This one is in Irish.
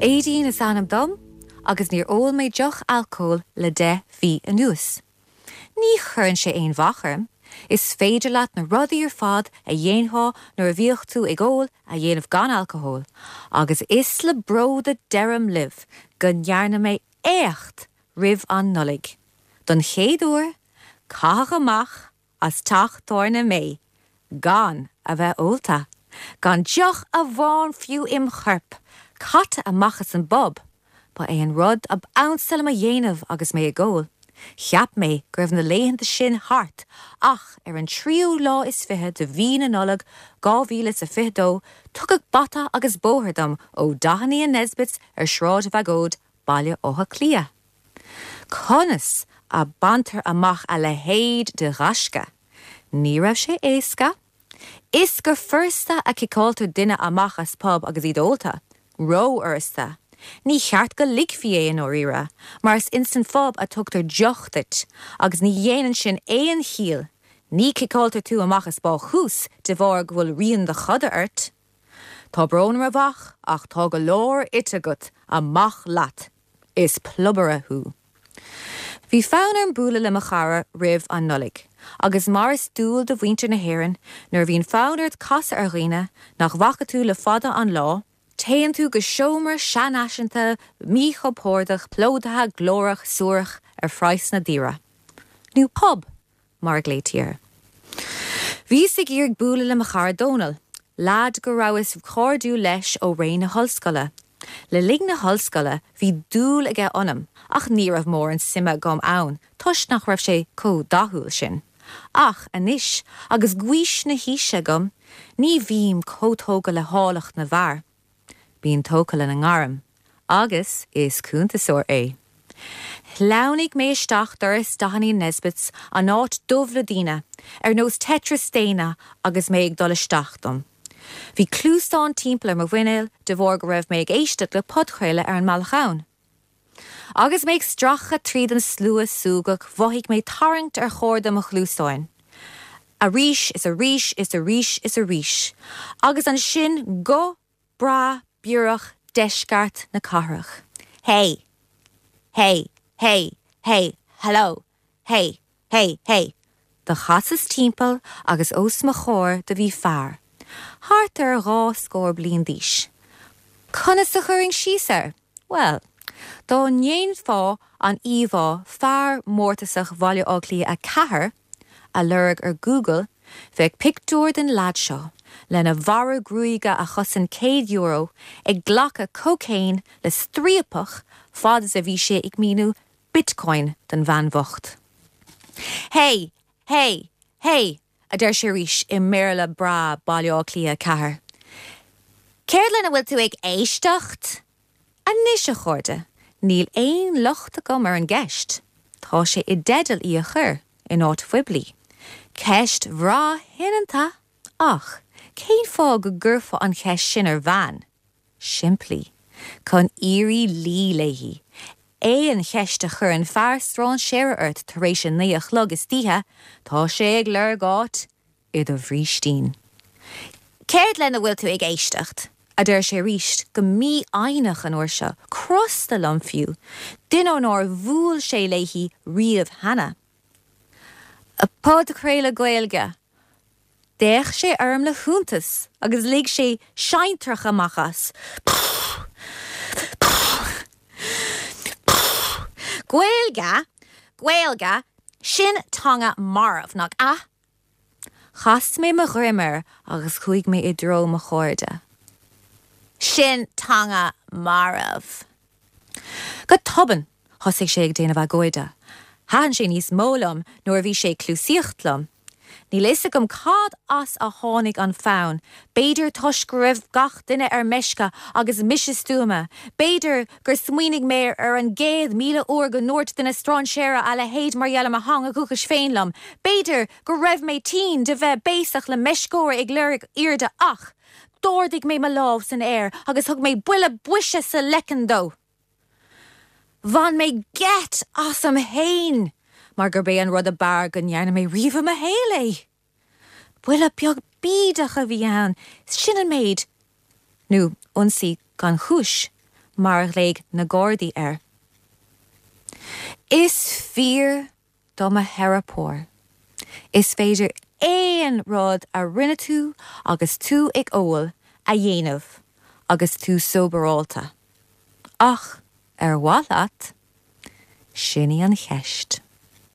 Aedín is ainm dom agus níor ól mé deoch alcóil le 10 mhí anuas. Ní chuireann sé aon bhac orm, is féidir leat na rudaí ar fad a dhéanfá nuair a bhíodh tú ag ól a dhéanamh gan alcól, agus is le bród a deirim libh go ndearna mé éacht roimh an Nollaig. Don chéad uair, caitheadh amach as teach tábhairne mé gan a bheith ólta, gan deoch amháin fiú im chorp, caite amach as an bpub. Ba é an rud ab ansa liom a dhéanamh agus mé ag ól. Cheap mé go raibh na laethanta sin thart ach ar an tríú lá is fiche de mhí na Nollag 2022 tugadh bata agus bóthar dom ó Doheny and Nesbitt's ar Sráid Bhagóid, Baile Átha Cliath. Conas a baintear amach a leithéid de ghaisce? Ní raibh sé éasca. Is go furasta a ciceáiltear duine amach as pub agus iad ólta. Ró-fhurasta. Ní cheart go ligfí é i ndáiríre, mar is ins an phub a tugtar deoch duit, agus ní dhéanann sin aon chiall, ní ciceáiltear tú amach as bácús de bharr go bhfuil rian do choda ort. Tá brón orm a mhac ach tá go leor ite agat, amach leat! Is piobaire thú. Bhí fonn orm bualadh le mo chara roimh an Nollaig, agus mar is dual do mhuintir na hÉireann, nuair a bhíonn fonn ort casadh ar dhaoine nach bhfaca tú le fada an lá, téann tú go seomra seanfhaiseanta míchompordach plódaithe glórach suarach ar phraghsanna daora. Nó pub! mar a ghlaoití air. Bhíos ag iarraidh bualadh le mo chara Dónal, leaid go rabhas cairdiúil leis ó ré na hollscoile. Le linn na hollscoile bhí dúil aige ionam ach ní raibh mórán suime agam ann toisc nach raibh sé chomh dathúil sin. Ach anois agus gaois na haoise agam ní bhím chomh tógtha le háilleacht na bhfear. Bím tógtha lena ngairm. Agus is cuntasóir é. Shleamhnaigh mé isteach doras Doheny and Nesbitt's, an áit dubh le daoine, ar nós Tetris daonna agus mé ag dul isteach dom. Bhí cluasáin timpeall ar mo mhuinéal de bharr go raibh mé ag éisteacht le podchraoladh ar an mbealach ann. Agus mé ag stracadh tríd an slua súgach mhothaigh mé tarraingt ar chorda mo chluasáin. Arís is arís is arís is arís. Agus ansin guth breá biorach deisceart na cathrach. Hey! Hey! Hey! Hey! Hello! Hey! Hey! Hey! Do chasas timpeall agus os mo chomhair do bhí fear, thart ar dhá scór bliain d'aois. Conas a chuirfinn síos air? Bhuel, dá ndéanfá an íomhá 'Fear Mórtasach Bhaile Átha Cliath 4' a lorg ar Google, bheadh pictiúr den leaid seo, lena bharra gruaige a chosain €100, ag glacadh cócaon le striapach fad is a bhí sé ag míniú Bitcoin don bhean bhocht. Hey! Hey! Hey! a deir sé arís i mBéarla breá Baile Átha Cliath 4. Céard lena bhfuil tú ag éisteacht? Anois, a chairde, níl aon locht agam ar an gceist. Tá sé i dteideal í a chur, in áit phoiblí. Ceist bhreá shoineanta! Ach cén fáth go gcuirfeá an cheist sin ar bhean? Simplí. Chun iarraidh luí léi. Aon cheist a chuireann fear strainséara ort tar éis a naoi a chlog istoíche, tá sé ag lorg áit i do bhrístín. Céard lena bhfuil tú ag éisteacht? a deir sé arís, go mífhoighneach an uair seo, crosta liom fiú, duine nár bhuail sé léi riamh cheana. Podchraoladh Gaeilge! D'fhéach sé orm le hiontas agus lig sé seantrach amach as. Gaeilge? Gaeilge? Sin teanga marbh, nach ea? Chas mé mo dhroim air agus chuaigh mé i dtreo mo chairde. Sin teanga marbh. Go tobann, thosaigh sé ag déanamh agóide. Thaitin sé níos mó liom nuair a bhí sé ag cliúsaíocht liom. Níl a fhios agam cad as a tháinig an fonn, b'fhéidir toisc go raibh gach duine ar meisce agus mise stuama, b'fhéidir gur smaoinigh mé ar an gcéad 1,000 uair go ndúirt duine strainséara a leithéid mar gheall ar mo theanga dhúchais féin liom, b'fhéidir go raibh mé tinn de bheith béasach le meisceoir ag lorg airde ach d'ardaigh mé mo lámh san aer agus thug mé buille boise sa leiceann dó. Bhain mé geit asam fhéin mar gurb é an rud ab fhearr go ndearna mé riamh i mo shaol é. Buille beag bídeach a bhí ann, sin an méid, nó ionsaí gan chúis. mar a ghlaoigh na Gardaí air. Is fíor do mo theiripeoir. Is féidir aon rud a rinne tú agus tú ag ól a dhéanamh agus tú sóbarálta. Ach ar mhaith leat? Sin í an cheist.